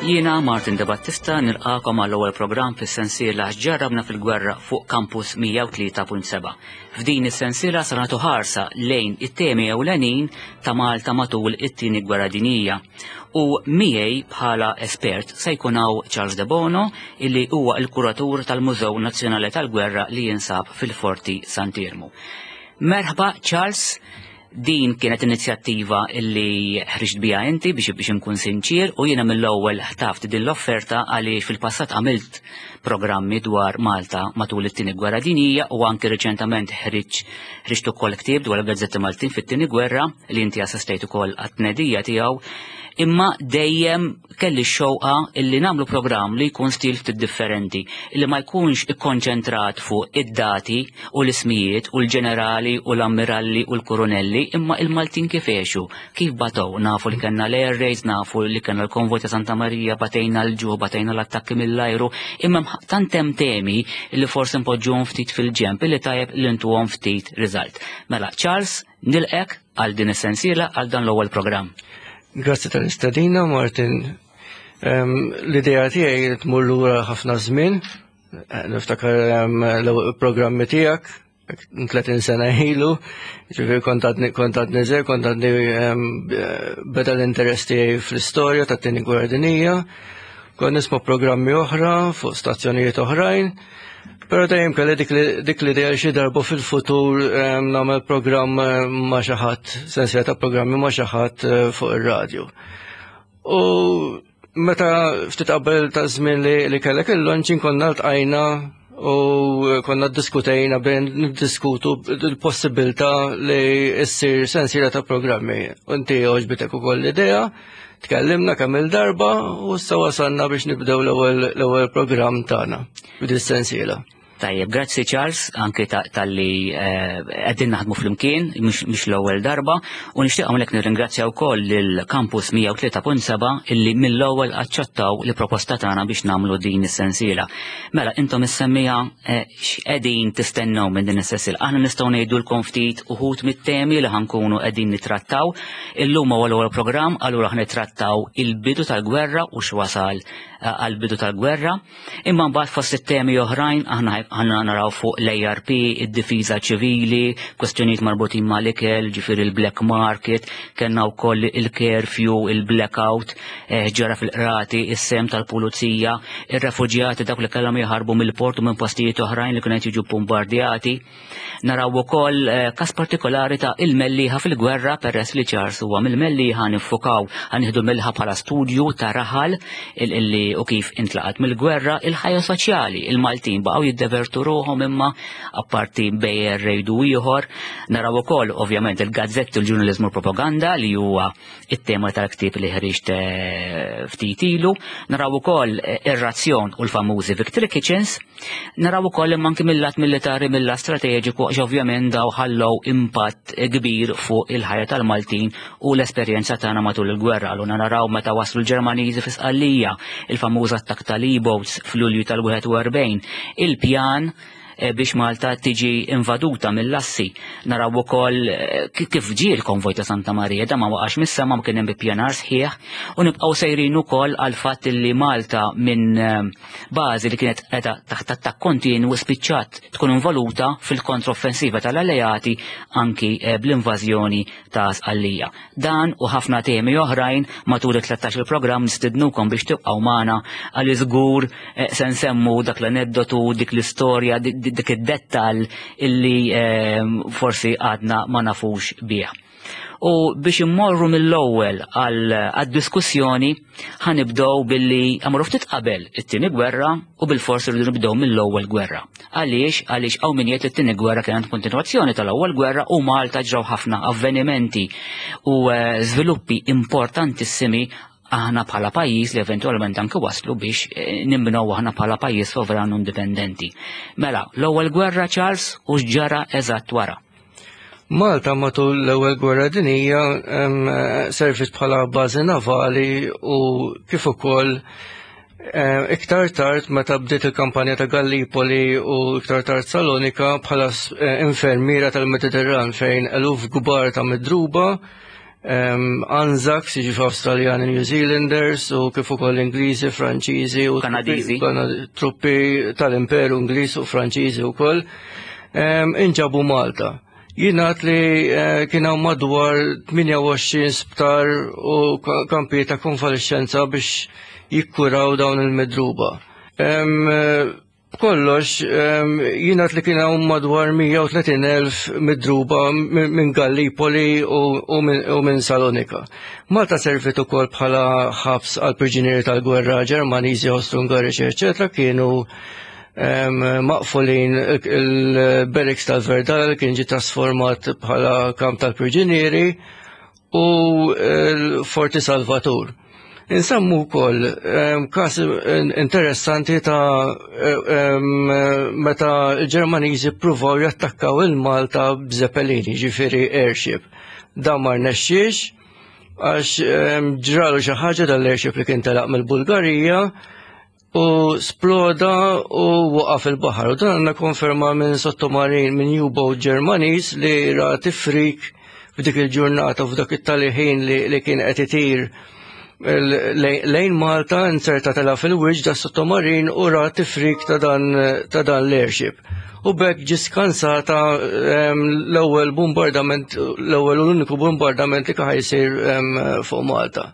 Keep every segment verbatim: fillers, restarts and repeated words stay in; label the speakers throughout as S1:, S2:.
S1: Jiena Martin De Battista nilqakom għall ewwel programm fis-sensiela X'ġarrabna fil-gwerra fuq Campus mija u tlieta punt seba'. F'din is-sensiela se nagħtu ħarsa lejn it-temi ewlenin ta' Malta matul it-tieni gwerra dinjija. U miegħi bħala espert se jkun hawn Charles De Bono, illi huwa l-kuratur tal-Mużew Nazzjonali tal-Gwerra li jinsab fil-Forti Sant'Iermu. Merħba, Charles. Din kienet inizjattiva illi ħriġt bija inti, biex biex nkun sinċir, u jiena mill-ewwel ħtaft din l-offerta għaliex fil-passat għamilt programmi dwar Malta matul it-tieni gwerra dinjija u anki reċentament ħriġ ħriġt ukoll ktieb dwar il-gazzetti Maltin fit-tieni gwerra li inti assistejt ukoll għat-tnedija tiegħu, imma dejjem kelli x-xewqa illi nagħmlu programm li jkun stil ftit differenti, illi ma jkunx ikkonċentrat fuq id-dati u l-ismijiet u l-ġenerali u l-ammiralli u l-kurunelli, imma il-Maltin kif għexu, kif batow. Nafu li kellna l-air raids, nafu li kellna l-konvoj ta' Santa Maria, batejna l-ġuħ, batejna l-attakki mill-ajru, imma tant hemm temi li forsi npoġġuhom ftit fil-ġemp illi tajjeb li ntuhom ftit riżalt. Mela, Charles, nilqgħek għal din is-sensiela, għal dan l-ewwel programm.
S2: Grazzi tal-istedina, Martin. L-idea tiegħi tmur lura ħafna żmien. Niftakar l-programmi tiegħek tletin sena ilu, ġifieri kont għadni kont għadni żgħir, kont għadni beda l-interess tiegħi fl-istorja tat-tieni gwerra dinjija. Kont nisma' programmi oħra fuq stazzjonijiet oħrajn. Pero dejjem kelli dik l-idea xi darba fil-futur nagħmel programm ma' xi ħadd, sensiela ta' programmi ma' xi ħadd fuq ir-radju. U meta ftit qabel ta' żmien li kellek il-launching konna ltqajna u konna ddiskutejna bejn niddiskutu l-possibilità li issir sensiela ta' programmi. Inti għoġbitek ukoll l-idea, tkellimna kemm il-darba u issa wasalna biex nibdew l-ewwel programm tagħna b'din sensiela.
S1: Tajjeb, grazzi Charles, anke talli qegħdin naħdmu flimkien, mhux l-ewwel darba, u nixtieq hawnhekk nirringrazzja wkoll lil Campus mija u tlieta punt seba' illi mill-ewwel aċċettaw li proposta tagħna biex nagħmlu din is-sensiela. Mela, intom is-semmiegħa, x'qegħdin tistennew minn din is-sensiela? Aħna nistgħu ngħidulkom ftit uħud mit-temi li ħa nkunu qegħdin nittrattaw. Illum huwa l-ewwel programm, allura ħa nittrattaw il-bidu tal-gwerra u x'wasal għal-bidu tal-gwerra. Imma mbagħad fost it-temi oħrajn aħna ħa naraw fuq l-A R P, id-difiża ċivili, kwestjonijiet marbutin mal-ikel, ġifieri il-black market, kellna wkoll il-curfew, il-blackout, ġara fil-qrati, is-sehem tal-pulizija, ir-refuġjati, dawk li kellhom jaħarbu mill-port u minn postijiet oħrajn li kienu jiġu bombardjati. Naraw ukoll każ partikolari ta' il-Mellieħa fil-gwerra, peress li Charles huwa mill-Mellieħa, niffukaw, ħa nieħdu Mellieħa bħala studju ta' raħal illi u kif intlaqat mill-gwerra, il-ħajja soċjali, il-Maltin baqgħu jiddevertu ruħhom imma apparti bejn raid u ieħor. Naraw ukoll ovvjament il-gazzetti, il-ġurnaliżmu, propaganda, li huwa it-tema tal-ktieb li ħriġt ftit ilu. Naraw ukoll ir-razzjon u l-famużi Victory Kitchens. Naraw ukoll imma anki mill-lat militari, mill-lat strateġiku, għax ovvjament daw ħallew impatt kbir fuq il-ħajja tal-Maltin u l-esperjenza tagħna matul il-gwerra. Allura naraw meta waslu l-Ġermaniżi fi Sqallija, il-famuż attakk tal-E-boats fl-Lulju tal-wieħed u erbgħin, il-pjan biex Malta tiġi invaduta mill-assi. Naraw ukoll kif ġie l-konvoj ta' Santa Maria, da ma waqax mis-sema, ma kien hemm ippjanar sħiħ, u nibqgħu sejrin ukoll għal fatt li Malta minn bażi li kienet qiegħda taħt attakk kontinwu spiċċat tkun involuta fil-kontroffensiva tal-alleati, anki bl-invażjoni ta' Sqallija. Dan u ħafna temi oħrajn matul it-tlettax il-programm. Nistidnukom biex tibqgħu magħna għal żgur se nsemmu dak l-aneddotu, dik l-istorja, dik id-dettal illi forsi għadna ma nafux bih. U biex immorru mill-ewwel għad-diskussjoni, ħa nibdew billi għamru ftit qabel it-tieni gwerra u bil-forsi rridu nibdew mill-ewwel gwerra. Għaliex? Għaliex hawn min jgħid it-tieni gwerra kienet kontinwazzjoni tal-ewwel gwerra u Malta ġraw ħafna avvenimenti u żviluppi importantissimi aħna bħala pajjiż li eventualment anke waslu biex nimbnew aħna bħala pajjiż sovran indipendenti. Mela, l-ewwel gwerra, Charles, u x'ġara eżatt wara?
S2: Malta matul l-ewwel gwerra dinija servit bħala bażi navali u kif ukoll iktar tard, meta bdiet il-kampanja ta' Gallipoli u iktar tard Salonika, bħala infermiera tal-Mediterran fejn eluf kbar ta' midruba Anzacs, jiġifieri Australian New Zealanders, u kif ukoll Ingliżi, Franċiżi u
S1: Kanadiżi.
S2: Truppi tal-Imperu Ingliż u Franċiżi wkoll inġabu Malta. Jingħad li eh, kien hawn madwar tmienja u għoxrin sptar u kampi ta' konvalescenza biex jikkuraw dawn il-midruba. Kollox, jingħad li kien hawn madwar mija u tletin elf midruba minn Gallipoli u minn Salonika. Malta servit ukoll bħala ħabs għal priġunieri tal-gwerra Ġermaniżi, Austro-Ungariċi, eċetera, kienu maqfulin il-barracks tal-Verdal, kien ġi trasformat bħala kamp tal-priġunieri, u l-Forti Salvatur. Insemmu wkoll każ interessanti ta' meta l-Ġermaniżi ppruvaw jattakkaw il-Malta b'Zeppelini, ġifieri airship. Dan ma rnexxiex għax ġralu xi ħaġa dal-airship li kien telaq mill-Bulgarija u sploda u waqa' fil-baħar. U dan għandna konferma minn sottomarin, minn U-boat Ġermaniż li ra tifrik f'dik il-ġurnata u f'dak it-tali ħin li, li kien qed itir lejn Malta, inzerta tela fil-wiċċ da sottomarin u ra tifrik ta' dan, ta' dan l-airship. U b'hekk ġi skansata l-ewwel bombardament, l-ewwel u l-uniku bombardament li kien jsir fuq Malta.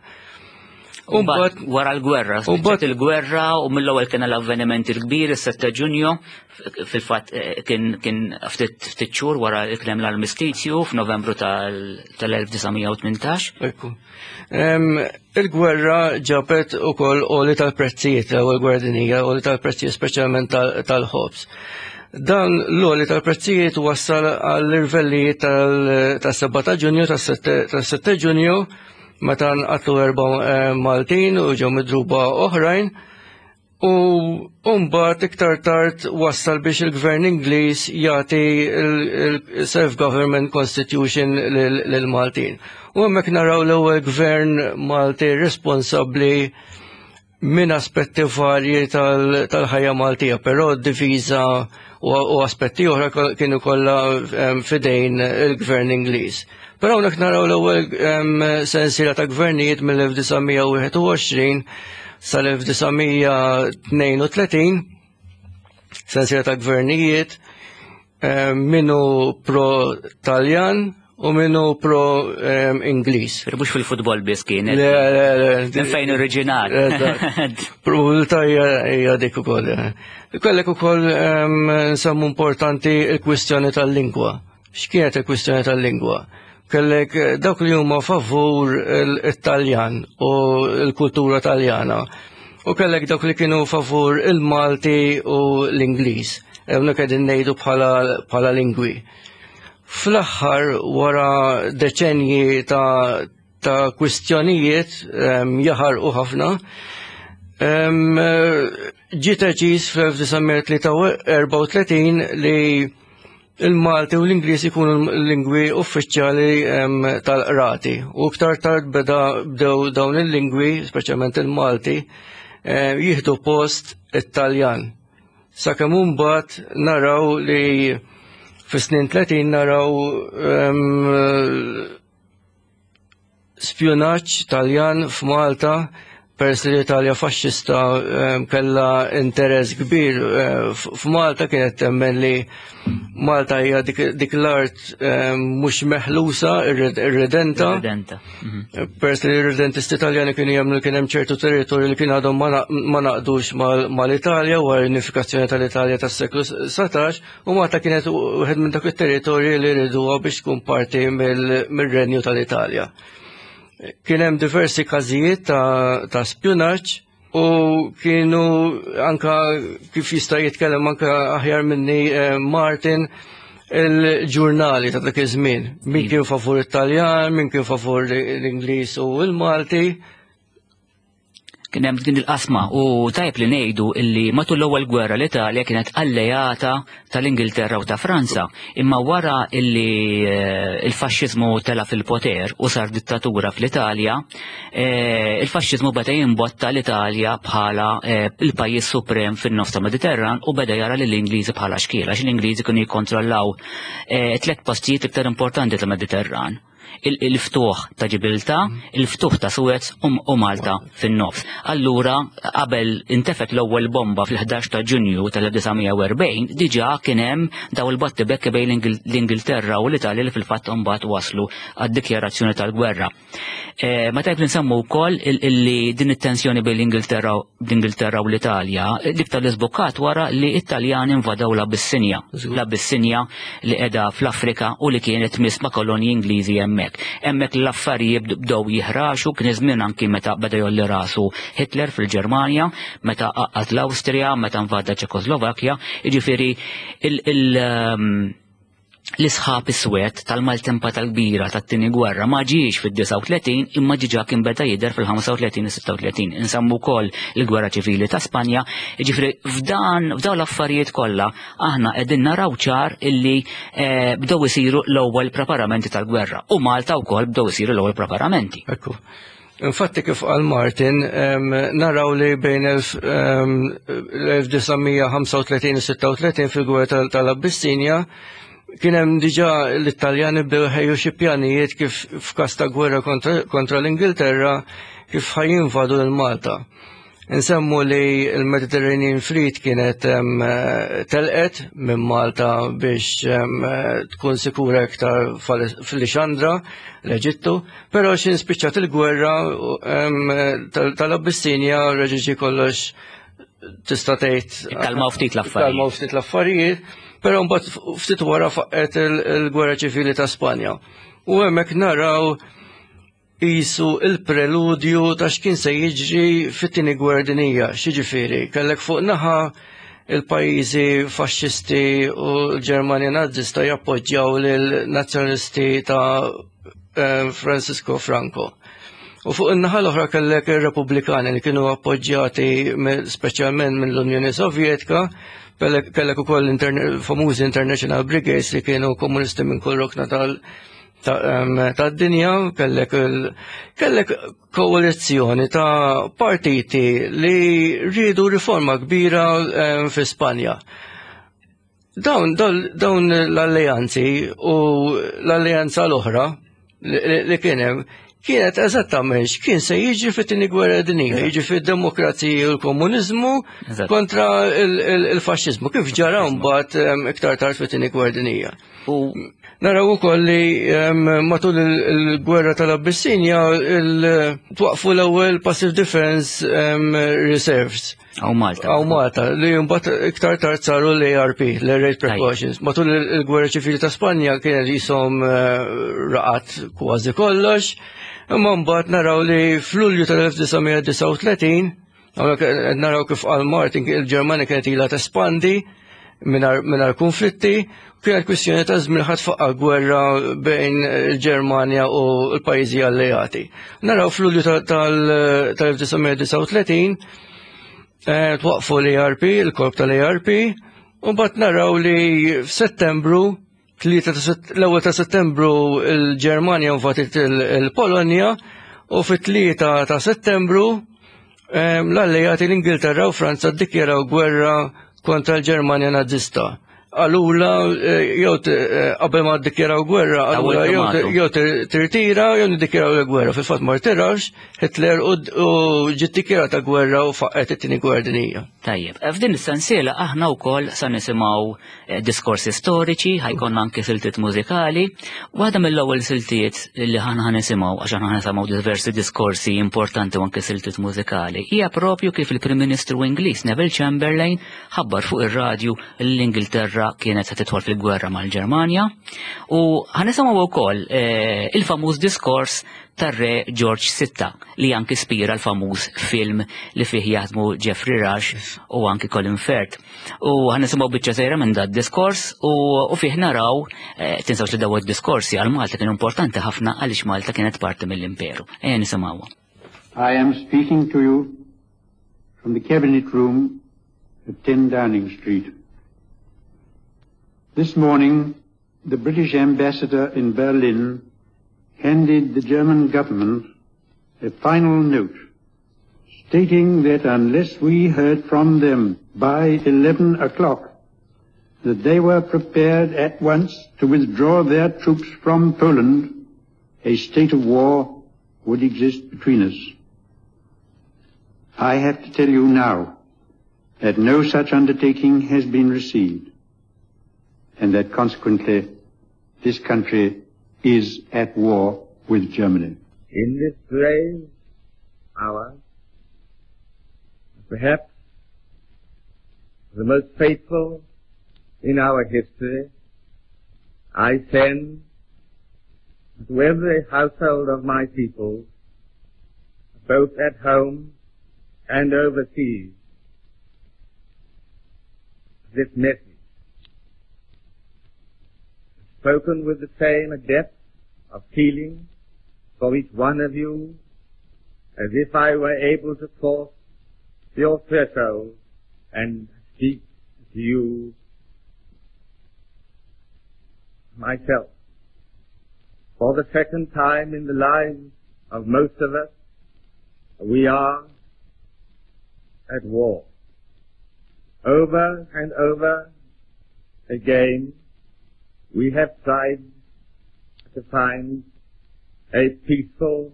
S1: Umbat wara l-gwerra, spiċċat il-gwerra u mill-ewwel kien l-avveniment il-kbir, is-sitta Ġunju, fil-fatt eh, kien kien ftit ftit xhur wara li kien hemm l-armistizju f'Novembru tal-elf disa' mija u tmintax.
S2: Ekku. Il-gwerra ġabet ukoll għoli tal-prezzijiet, l-ewwel gwerra dinjija, għoli tal-prezzijiet, speċjalment tal-ħobż. Dan l-għoli tal-prezzijiet wassal għall-irvellijiet tas-sebgħa ta' Ġunju, tas-sitta Ġunju, meta nqatlu erba' eh, Maltin u ġew midruba oħrajn. U mbagħad iktar tard wassal biex il-gvern Ingliż jagħti il-Self-Government Constitution lil-Maltin. U hemmhekk naraw l-ewwel gvern Malti responsabbli minn aspetti varji tal-ħajja Maltija, però d-difiża u aspetti oħra kienu kollha fidejn il-gvern Ingliż. Però hawnhekk naraw l-ewwel sensiela ta' gvernijiet mill-elf disa' mija u wieħed u għoxrin sal-elf disa' mija tnejn u tletin, sensiela ta' gvernijiet minnu pro-Taljan u minnu pro-Ingliż.
S1: Mhux fil-futbol biss kienet.
S2: Le, le, le.
S1: Minn fejn oriġinat.
S2: Probabilità hija dik ukoll. Kellek ukoll nsemmu importanti il-kwistjoni tal-lingwa. X'kienet il-kwistjoni tal-lingwa? Kellek dawk li huma favur il-Taljan u l-kultura Taljana. U kellek dawk li kienu favur il-Malti u l-Ingliż. Hawnhekk qegħdin ngħidu bħala lingwi. Fl-aħħar, wara deċenji ta' ta' kwistjonijiet jaħarqu ħafna, ġie deċiż fl-elf disa' mija erbgħa u tletin li il-Malti u l-Ingliż ikunu l-lingwi uffiċjali tal-qrati. U iktar tard beda bdew dawn il-lingwi, speċjalment il-Malti, jieħdu post it-Taljan. Sakemm imbagħad naraw li fis-snin tletin naraw spjunaġġ Taljan f'Malta, peress li l-Italja faxxista kellha interess kbir f'Malta, kienet temmen li Malta hija dik l-art mhux meħlusa, irredenta.
S1: Irredenta.
S2: Peress li l-irredentisti Taljani kienu jemmnu li kien hemm ċertu territorju li kien għadhom ma naqdux mal-Italja wara l-unifikazzjoni tal-Italja tas-seklu satax, u Malta kienet wieħed minn dak it-territorji li rriduha biex tkun parti mir-renju tal-Italja. Kien hemm diversi każijiet ta', ta spjunaġġ u kienu anka, kif jista' jitkellem anka aħjar minni eh, Martin, il-ġurnali ta' dak iż-żmien. Min kien favur it-Taljan, min kien favur l-Ingliż u l-Malti.
S1: Kien hemm din il-qasma u tajb li ngħidu illi matul l-ewwel gwerra l-Italja kienet allejata tal-Ingilterra u ta' Franza, imma wara illi eh, il-faxxiżmu tela fil-poter u sar dittatura fl-Italja, eh, il-faxxiżmu beda jimbotta l-Italja bħala eh, il-pajjiż suprem fin-nofs ta' Mediterran u beda jara lill-Ingliżi bħala xkiela, għax l-Ingliżi kienu jikkontrollaw tliet postijiet iktar importanti tal-Mediterran. Il-ftuħ ta' Ġibilta, il-ftuħ ta' Suez u Malta fin-nofs. Allura, qabel intefet l-ewwel bomba fil-ħdax ta' Ġunju tal-elf disa' mija u erbgħin, diġà kien hemm daw il-battibekki bejn l-Ingilterra u l-Italja li fil-fatt imbagħad waslu għad-dikjarazzjoni tal-gwerra. Eh, ma tajb li nsemmu wkoll illi din it-tensjoni bejn l-Ingilterra l-Ingilterra u l-Italja l-iktar li żbukkat wara li Italjani invadaw l-Abissinja. L-Abissinja li qiegħda fl-Afrika u li kienet tmiss ma' kolonji Ingliżi hemmhekk. Hemmhekk l-affarijiet bdew jiħraxu. Kien żmien anki meta beda jgħolli rasu Hitler fil-Ġermanja, meta għaqqad l-Awstrija, meta invada Ċekoslovakkja, jiġifieri il- il- um, l-isħab iswed tal-maltempata l-kbira tat-tieni gwerra ma ġiex fid-disgħa u tletin imma diġà kien beda jidher fil-ħamsa u tletin u sitta u tletin. Insammu wkoll il-gwerra ċivili ta' Spanja, jiġifieri f'dan f'dawn l-affarijiet kollha aħna qegħdin naraw ċar illi eh, bdew isiru l-ewwel preparamenti tal-gwerra u Malta wkoll bdew isiru l-ewwel preparamenti.
S2: Ekku. Infatti, kif qal Martin, em, naraw li bejn l-elf disa' mija ħamsa u tletin u sitta u tletin fil-gwerra tal- tal-Abbissinja kien hemm diġà l-Italjani bdew ħejju xi pjanijiet kif f'każ ta' gwerra kontra, kontra l-Ingilterra kif ħa jinvadu lil Malta. Nsemmu li l-Mediterranean Fleet kienet em, telqet minn Malta biex em, tkun sikura iktar fil-Lixandra, l-Eġittu, però xin spiċċat il-gwerra em, tal- tal-Abbissinja reġa' kollox, tista' tgħid
S1: Kalmaw ftit l-affarijiet.
S2: Kalmaw ftit l-affarijiet, però mbagħad ftit wara faqqet il-gwerra ċivili ta' Spanja. U hemmhekk naraw qisu il-preludju ta' x'kien se jiġri fit-tieni gwerra dinjija. X'jiġifieri, kellek fuq naħa il-pajjiżi faxxisti u l-Ġermanja Nazista jappoġġjaw lil-nazzjonalisti ta' eh, Francisco Franco. U fuq in-naħa l-oħra kellek ir-Repubblikani li kienu appoġġjati speċjalment mill-Unjoni Sovjetika, kellek ukoll famużi International Brigades li kienu komunisti minn kull rokna tal tad-dinja, kellek kellek koalizzjoni ta' partiti li rridu riforma kbira fi Spanja. Dawn, dawn l-alleanzi u l-alleanza l-oħra li kien hemm kienet eżattament kien se jiġi fit-tieni gwerra dinjija, jiġi fid-demokrazija u l-komuniżmu kontra il-faxxiżmu, kif ġara mbagħad iktar tard fit-tieni gwerra dinjija.
S1: U
S2: naraw ukoll li matul il-gwerra tal-Abbissinja twaqfu l-ewwel Passive Defense Reserves.
S1: Hawn Malta.
S2: Hawn Malta, li mbagħad iktar tard saru l-A R P, l-Air Raid Precautions. Matul il-gwerra ċivili ta' Spanja kienet jisom eh, raqat kważi kollox, imma mbagħad naraw li f'Lulju tal-elf disa' mija disgħa u tletin, naraw kif qal Martin, il-Ġermanja kienet ilha tespandi mingħajr konflitti, kienet kwistjoni ta' żmien ħa tfaqqa' gwerra bejn il-Ġermanja u l-pajjiżi alleati. Naraw f'Lulju tal-elf disa' mija disgħa u tletin eh, twaqfu l-A R P, il-korp tal-A R P, u mbagħad naraw li f'Settembru, l-ewwel ta' Settembru, il-Ġermanja invadiet il-Polonja u fit-tlieta ta' Settembru l-alleati, l-Ingilterra u Franza, ddikjaraw gwerra kontra l-Ġermanja Nazista. Qalulha eh, jew eh, qabel ma ddikjaraw gwerra, qalulha jew tirtira jew niddikjaraw l-gwerra. Fil-fatt ma rtirax Hitler u ġiet dikjarata gwerra u faqqet it-tieni gwerra dinjija.
S1: Tajjeb, f'din is-sensiela aħna wkoll sa nisimgħu eh, diskorsi storiċi, ħa jkollna anke siltiet mużikali. Waħda mill-ewwel siltiet li aħna ħa nisimgħu, għax aħna nisimgħu diversi diskorsi importanti u anke siltiet mużikali, hija propju kif il-Prim Ministru Ingliż Neville Chamberlain ħabbar fuq ir-radju l-Ingilterra kienet se tidħol fil-gwerra mal-Ġermanja u ħa nisimgħu wkoll eh, il-famuż diskors tar-re George sitta li anki spira l-famuż film li fih jaħdmu Geoffrey Rush u anki Colin Firth. U ħa nisimgħu biċċa żgħira minn dat diskors u, u fih naraw, eh, tinsawx li daw id-diskorsi għal Malta kienu importanti ħafna għaliex Malta kienet parti mill-imperu. Ejja nisimgħu.
S3: I am speaking to you from the Cabinet Room at ten Downing Street. This morning, the British ambassador in Berlin handed the German government a final note stating that unless we heard from them by eleven o'clock that they were prepared at once to withdraw their troops from Poland, a state of war would exist between us. I have to tell you now that no such undertaking has been received, and that consequently this country is at war with Germany.
S4: In this grave hour, perhaps the most fateful in our history, I send to every household of my people, both at home and overseas, this message, spoken with the same depth of feeling for each one of you as if I were able to cross your threshold and speak to you myself. For the second time in the lives of most of us, we are at war. Over and over again, we have tried to find a peaceful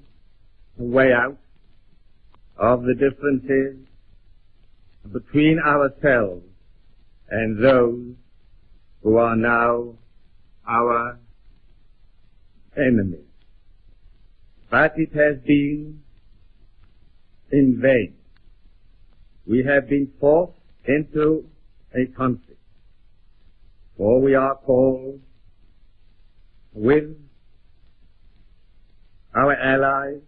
S4: way out of the differences between ourselves and those who are now our enemies. But it has been in vain. We have been forced into a conflict, for we are called with our allies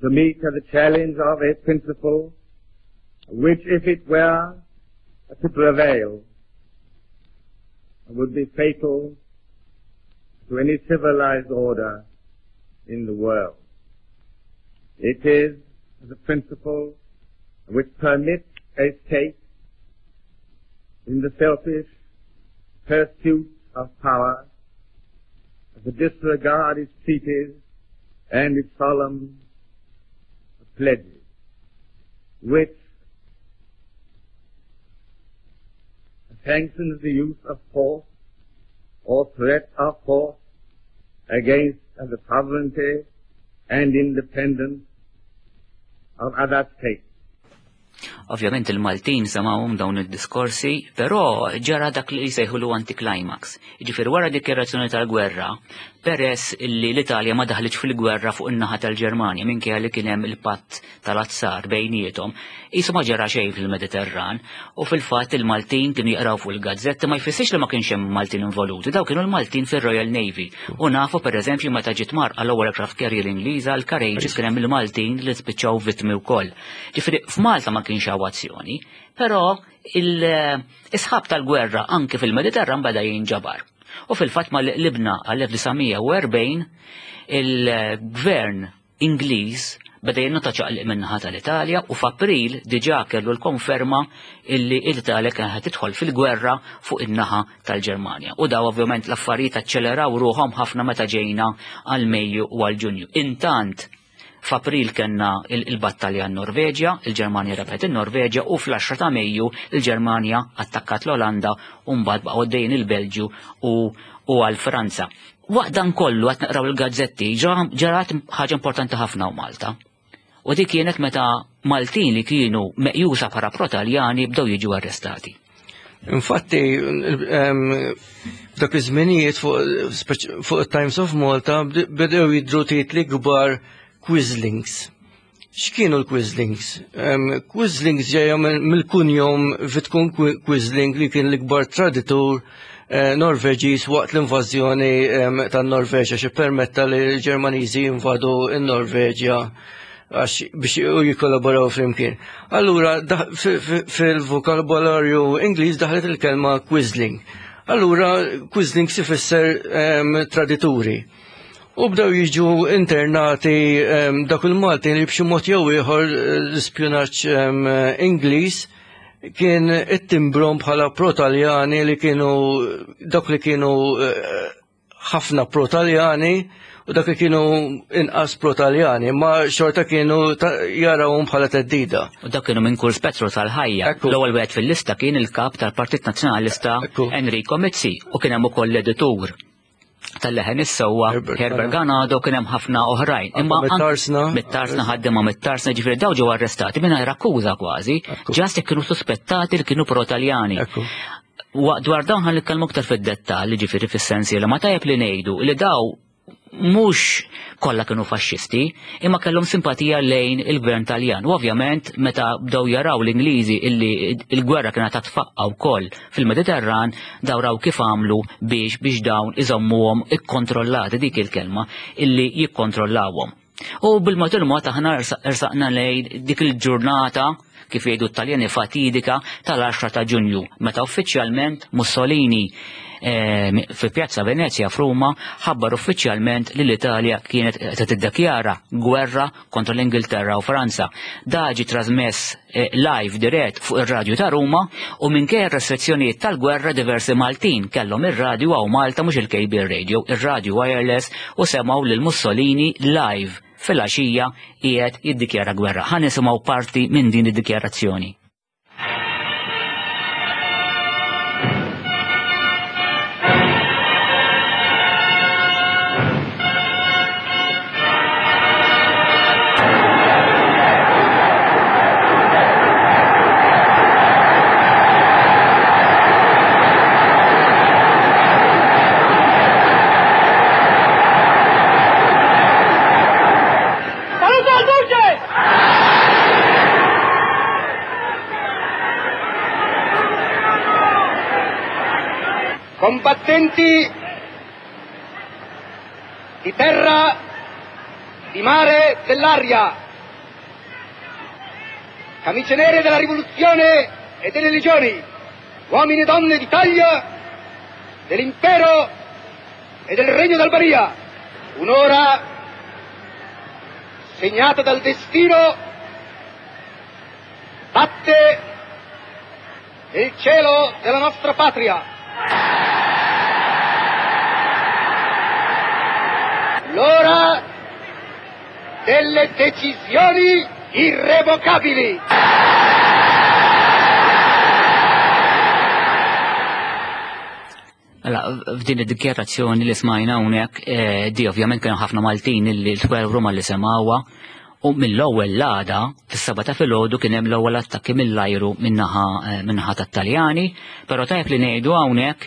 S4: to meet the challenge of a principle which, if it were to prevail, would be fatal to any civilized order in the world. It is the principle which permits a state in the selfish pursuit of power to disregard its treaties and its solemn pledges, which sanctions the use of force or threat of force against the sovereignty and independence of other states.
S1: Ovvjament il-Maltin semgħuhom dawn id-diskorsi, però ġara dak li jsejħulu anticlimax. Jiġifieri wara dikjarazzjoni tal-gwerra, peress li l-Italja ma daħlitx fil-gwerra fuq in-naħa tal-Ġermanja minkejja li kien hemm il-patt tal-azzar bejniethom, qisu ma ġara xejn fil-Mediterran u fil-fatt il-Maltin kienu jaqraw fuq il-gazzetti, ma jfissirx li ma kienx hemm Maltin involuti, daw kienu l-Maltin fir-Royal Navy. U nafu, pereżempju, meta ġiet mgħarrqa l-ewwel aircraft carrier Ingliża, l-Courageous, kien hemm il-Maltin li spiċċaw vittmi wkoll. Ġifieri f'Malta ma kienx hawn azzjoni, però is-sħab tal-gwerra anke fil-Mediterran beda jinġabar. U fil-fatt ma libna għal-elf disa' mija u erbgħin il-gvern Ingliż beda jinnota ċaqliq min-naħa tal-Italja u f'April diġà kellu l-konferma illi l-Italja kienet tidħol fil-gwerra fuq in-naħa tal-Ġermanja. U daw ovvjament l-affarijiet aċċeleraw ruħhom ħafna meta ġejna għal Mejju u għal Ġunju. Intant f'April kellna il-battalja n-Norveġja, il-Ġermanja rebħet il-Norveġja u fl-għaxra ta' Mejju il-Ġermanja attakkat l-Olanda u mbagħad baqgħu għaddejjin il-Belġju u għal Franza. Waqt dan kollu qed naqraw il-gazzetti, ġarat ħaġa importanti ħafna u Malta. U dik kienet meta Maltin li kienu meqjusa bħala pro-Taljani bdew jiġu arrestati.
S2: Infatti, f'dak iż-żminijiet fuq Times of Malta bdew jidru titli kbar, "Quislings". X'kienu l-Quislings? Quislings ġejja mill-kunjom Vidkun Quisling, li kien l-ikbar traditur eh, Norveġiż waqt l-invażjoni tan-Norveġja, xi permetta li l-Ġermaniżi invadu n-Norveġja għax biex u jikollaboraw flimkien. Allura, fil-vokabularju Ingliż daħlet il-kelma Quisling. Allura, Quisling ifisser tradituri. U bdew jiġu internati dak il-Maltin li b'xi mod jew ieħor l-ispjunaġġ Ingliż kien ittimbrahom bħala pro-Taljani, li kienu dak li kienu eh, ħafna pro-Taljani u dak li kienu inqas pro-Taljani, ma xorta kienu jarawhom bħala theddida.
S1: U dak kienu minn kull spettru tal-ħajja. L-ewwel wieħed fil-lista kien il-kap tal-Partit Nazzjonalista Enrico Mizzi u kien hemm ukoll l-editur Tal-Leħen is-Sewwa, Herbert Ganado, kien hemm ħafna oħrajn.
S2: Imma mit-Tarsna.
S1: Mit-Tarsna, ħaddiema mit-Tarsna, ġifieri daw ġew arrestati mingħajr akkuża kważi, just kienu suspettati li kienu pro-Taljani. Dwar dawn ħa nitkellmu aktar fid-dettall, ġifieri fis-sensi li ma tajjeb li ngħidu li daw mhux kollha kienu faxxisti, imma kellhom simpatija lejn il-gvern Taljan. U ovvjament meta bdew jaraw l-Ingliżi illi il-gwerra kienet tfaqqa wkoll fil-Mediterran, daw raw kif għamlu biex biex dawn iżommuhom ikkontrollati, dik il-kelma, illi jikkontrollawhom. U bil-mod il-mod aħna ersaqna lejn dik il-ġurnata, kif jgħidu t-Taljani, fatidika tal-għaxra ta' Ġunju, meta uffiċjalment Mussolini eh, fi Pjazza Venezia f'Ruma ħabbar uffiċjalment li l-Italja kienet qed tiddikjara gwerra kontra l-Ingilterra u Franza. Da ġie trasmess eh, live dirett fuq ir-radju ta' Ruma u minkejja restrizzjonijiet tal-gwerra diversi Maltin kellhom ir-radju hawn Malta, mhux il-cable radio, ir-radju wireless, u semgħu lil Mussolini live fil-għaxija qiegħed jiddikjara gwerra. Ħa nisimgħu parti minn din id-dikjarazzjoni.
S5: Saluto al Duce!
S6: Combattenti di terra, di mare, dell'aria, camicie nere della rivoluzione e delle legioni, uomini e donne d'Italia, dell'impero e del Regno d'Albania, un'ora segnata dal destino batte il cielo della nostra patria. L'ora delle decisioni irrevocabili.
S1: Mela, f'din id-dikjarazzjoni li smajna hawnhekk, eh, di ovvjament kienu ħafna Maltin illi twellu Ruma li semgħuha, u mill-ewwel l-għada fis-seba ta' filgħodu kien hemm l-ewwel attakki mill-ajru min-naħa eh, min-naħa tat-Taljani, però tajjeb li ngħidu hawnhekk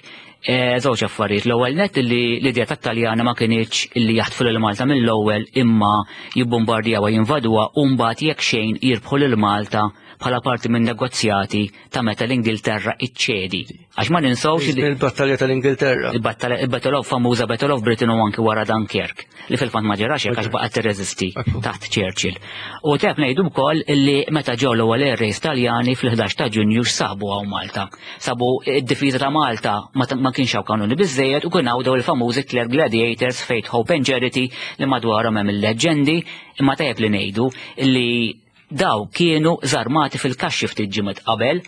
S1: eh, żewġ affarijiet. L-ewwel net li l-idea tat-Taljana ma kinitx illi jaħtfu lil Malta mill-ewwel imma jibbombardjawha, jinvaduha u mbagħad jekk xejn jirbħu lil Malta bħala parti minn negozjati ta' meta l-Ingilterra iċċedi. Għax ma ninsawx li
S2: Il-battalja tal-Ingilterra.
S1: Il-battalja, il-Battle of, famuża Battle of Britain u anki wara Dunkirk, li fil-fatt ma ġarax hekk għax baqgħet tirreżisti taħt Churchill. U tajjeb ngħidu wkoll illi meta ġew l-ewwel air raids Taljani fil-ħdax ta' Ġunju x'sabu hawn Malta. Sabu id-difiża ta' Malta ma ta- ma kienx hawn kanuni biżejjed u kien hawn dawn il-famużi Tliet Gladiators, Faith, Hope and Charity, li madwarhom hemm il-leġendi, imma tajjeb li ngħidu illi daw kienu żarmati fil-kaxxi ftit ġimgħat qabel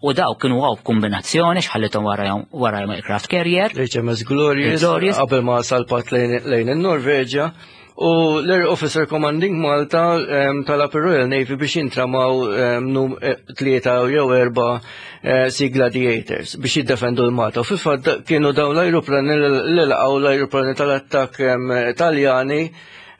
S1: u daw kienu għaw kombinazzjoni x'ħallithom wara wara aircraft carrier.
S2: L-H M S Glorious,
S1: Il-Glorious.
S2: qabel ma salpat lejn lejn in-Norveġja. U l-Air Officer Commanding Malta em, talab ir-Royal Navy biex jintramaw em, num eh, tlieta jew erba eh, Sea Gladiators biex jiddefendu l-Malta. U fil-fatt kienu dawn l-ajruplani li laqgħu l-ajruplani tal-attakk em, Taljani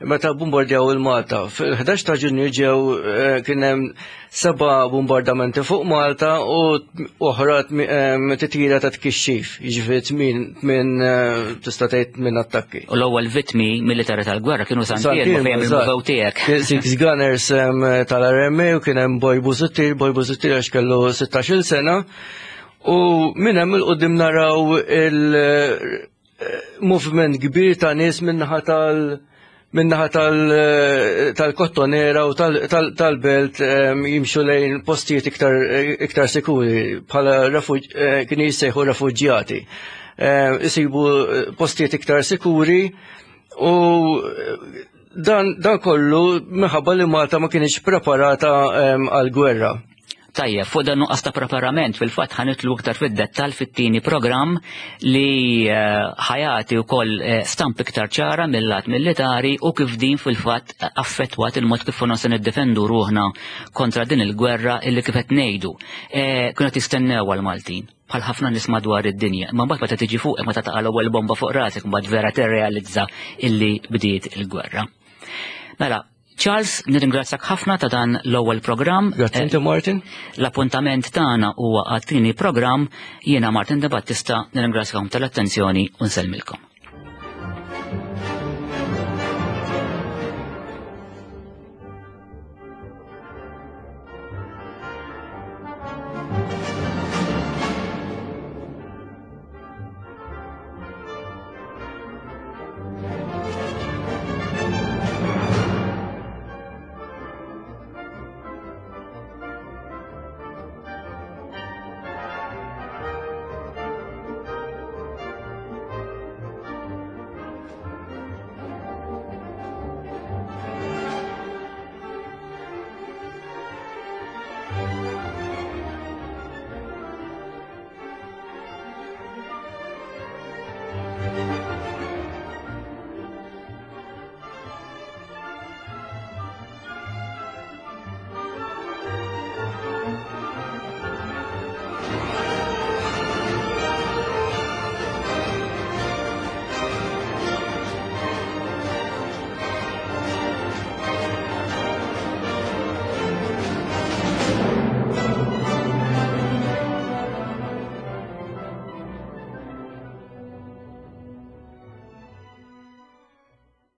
S2: meta bombardjaw il-Malta. Fil-ħdax ta' Ġunju ġew eh, kien hemm seba' bombardamenti fuq Malta u oħra em, titjira ta' tkixxif, jiġifieri tmien tmien eh, tista' tgħid minn attakki.
S1: U l-ewwel vittmi militari tal-gwerra kienu Sant'Iermu fejn
S2: eżatt.
S1: il-mużew tiegħek.
S2: Kien Six Gunners em, tal-R M A u kien hemm Boy Busuttil, Boy Busuttil għax kellu sittax-il sena. U minn hemm 'il quddiem naraw il-movement kbir ta' nies minnaħa tal- minnaħa tal- tal-Kottonera u tal- tal- tal-belt em, jimxu lejn postijiet iktar iktar sikuri bħala refuġ- eh, kienu jissejħu refuġjati. Eh, Isibu postijiet iktar sikuri u dan, dan kollu minħabba li Malta ma kienx preparata em, għal-gwerra.
S1: Tajjeb, fuq dan nuqqas ta' preparament fil-fatt ħa nidħlu iktar fid-dettall fit-tieni programm li eh, ħa jagħti wkoll eh, stamp iktar ċara mill-lat militari u kif din fil-fatt affettwat il-mod kif konna se niddefendu ruħna kontra din il-gwerra illi kif qed ngħidu. Eh, kienu tistennew għal-Maltin bħal ħafna nies madwar id-dinja. Ma mbagħad meta tiġi fuq, meta taqa' l-ewwel bomba fuq rasek, mbagħad vera tirrealizza illi bdiet il-gwerra. Mela, Charles, nirringrazzjak ħafna ta' dan l-ewwel programm.
S2: Grazzi inti, Martin.
S1: L-appuntament tagħna huwa għat-tieni programm. Jiena Martin De Battista, nirringrazzjakom tal-attenzjoni u nsellmilkom.